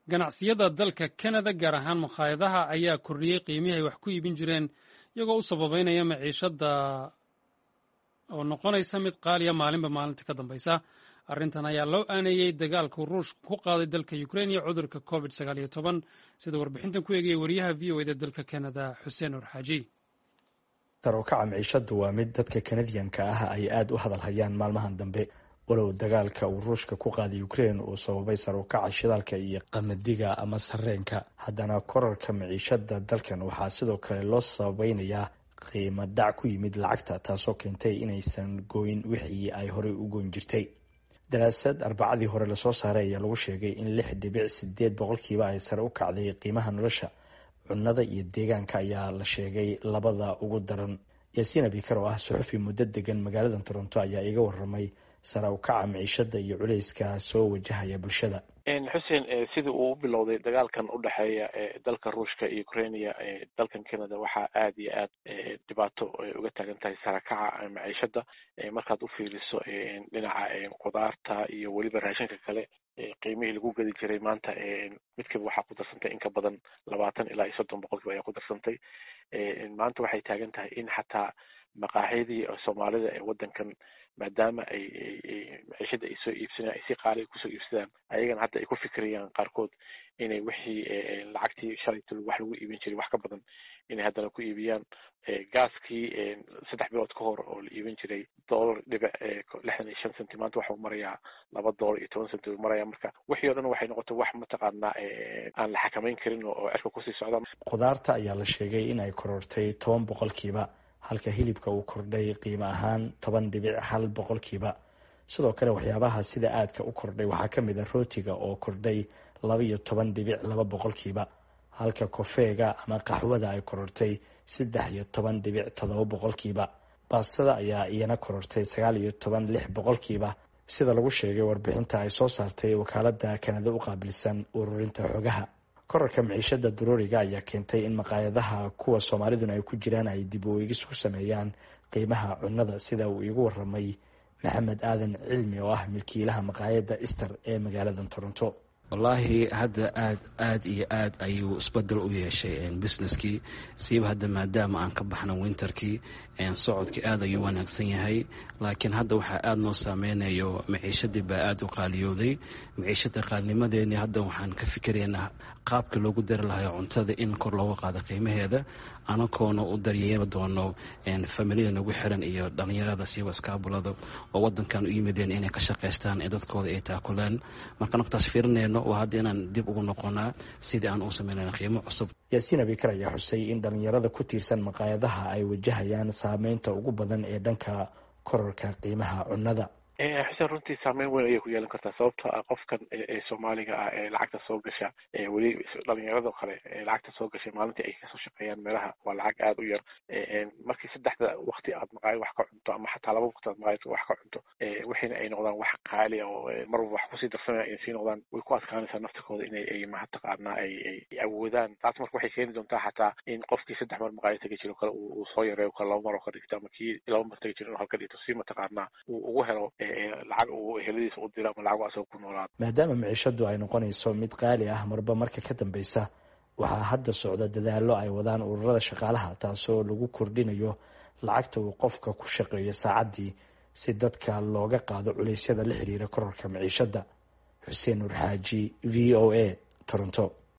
Ganacsiyada dalka Kanada, gaar ahaan makhaayadaha, ayaa kordhiyey qiimihii ay wax ku iibin jireen, iyagoo u sababeynaya maciishada oo noqonaysa mid qaaliya maalinba maalinta ka dambaysa. Arrintan ayaa loo aaneeyey dagaalku Ruushku ku qaaday dalka Ukrain iyo cudurka COVID-19, sida warbixintan ku eegaya wariyaha VOA da dalka Kanada, Xuseen Orxaaji. Sare u kaca maciishadu waa mid dadka Kanadiyanka ah ay aada u hadal hayaan maalmahan dambe, walow dagaalka uu Ruushka ku qaaday Ukrain uu sababay sare ukaca shidaalka iyo qamadiga ama sareenka. Haddana korarka maciishada dalkan waxaa sidoo kale loo sababeynayaa qiimo dhac ku yimid lacagta, taasoo keentay inaysan goyn wixii ay horey u goyn jirtay. Daraasad Arbacadii hore lasoo saaray ayaa lagu sheegay in 6.8% ay sare u kacday qiimaha nolosha. Cunada iyo deegaanka ayaa la sheegay labada ugu daran. Yaasiin Abikar, oo ah suxufi muddo degan magaalada Toronto, ayaa iga waramay sare u kaca maciishada iyo culeyska soo wajahaya bulshada. Xuseen, sidii uu u bilowday dagaalkan u dhexeeya dalka Ruushka iyo Ukrainia, dalkan Canada waxaa aada iyo aad dhibaato uga taagan tahay sarakaca maciishada. Markaad u fiiriso dhinaca qudaarta iyo weliba raashinka kale, qiimihii lagu gadi jiray maanta midkiiba waxaa ku darsantay in ka badan 20 ilaa iyo 30% ayaa ku darsantay. Maanta waxay taagan tahay in xataa maqaaxidii Soomaalida ee waddankan, maadaama ay maciishada ay soo iibsanayaan ay si qaali kusoo iibsadaan, ayagana hadda ay ku fikirayaan qaarkood inay wixii lacagtii shalayto wax lagu iibin jiray wax ka badan inay haddana ku iibiyaan. Gaaskii 3 bilood ka hor oo la iibin jiray $.65, maanta waxuu marayaa $2.10 uu maraya. Marka wixii o dhan waxay noqotay wax mataqaanaa aan la xakameyn karin oo cirka kusii socda. Khudaarta ayaa la sheegay in ay korortay 10%, halka hilibka uu kordhay qiimo ahaan 10.1%. Sidoo kale waxyaabaha sida aadka u kordhay waxaa ka mid a rootiga oo kordhay 12.2%, halka kofeega ama qaxwada ay korortay 13.7%. Baastada ayaa iyana korortay 19.6%, sida lagu sheegay warbixinta ay soo saartay wakaalada Kanada u qaabilsan ururinta xogaha. Korarka maciishada daruuriga ayaa keentay in maqaayadaha, kuwa Soomaaliduna ay ku jiraan, ay dib u eegis ku sameeyaan qiimaha cunnada, sida uu iigu waramay Maxamed Aadan Cilmi, oo ah milkiilaha maqaayadda Ister ee magaalada Toronto. Wallaahi, hadda aad aad iyo aad ayuu isbedel u yeeshay businesskii, siiba hadda maadaama aan ka baxna winterkii, socodkii aad ayuu wanaagsan yahay. Laakiin hadda waxaa aada noo saameynayo maciishadii baa aada u qaaliyooday. Maciishada qaalinimadeeni hadda waxaan ka fikiraynaa qaabka loogu dari lahayo cuntada in kor looga qaado qiimaheeda, anagoona u daryeeli doono familiyada nagu xiran iyo dhalinyarada, siiba iskaabulada oo wadankan u yimideen inay ka shaqaystaan ee dadkooda ay taakulaan. Marka naftaas fiirinayno waa hadda inaan dib ugu noqonaa sidii aan u sameynayna qiimo cusub. Yaasiin Abikar ayaa xusay in dhalinyarada ku tiirsan maqaayadaha ay wajahayaan saameynta ugu badan ee dhanka kororka qiimaha cunnada. Xuseen, runtii saameyn weyn ayay ku yeelan kartaa, sababtoo ah qofkan ee Soomaaliga ah ee lacagta soo gasha, weli dhalinyarado kale ee lacagta soo gashay maalintii ay kasoo shaqeeyaan meelaha, waa lacag aada u yar. Markii saddexda waqti aad maqaayad wax ka cunto ama xataa laba waqti aad maqaayad wax ka cunto, wixiina ay noqdaan wax qaali oo marwalba wax kusii darsamaya ay sii noqdaan, way ku adkaanaysaa naftikooda inay ay mataqaanaa ay awoodaan taas. Marka waxay keeni doontaa xataa in qofkii saddex mar maqaayad tegi jiro kale uu soo yareeyo, kale laba mar oo ka dhigto, ama kii laba mar tegi jiro inuu halka dhigto, si mataqaanaa uu ugu helo lacag uu eheladiisa u diro ama lacag asagoo ku noolaado. Maadaama maciishadu ay noqonayso mid qaali ah marba marka ka dambeysa, waxaa hadda socda dadaallo ay wadaan ururada shaqaalaha, taasoo lagu kordhinayo lacagta uu qofka ku shaqeeyo saacaddii, si dadka looga qaado culeysyada la xiriira kororka maciishada. Xuseen Nur Xaaji, VOA, Toronto.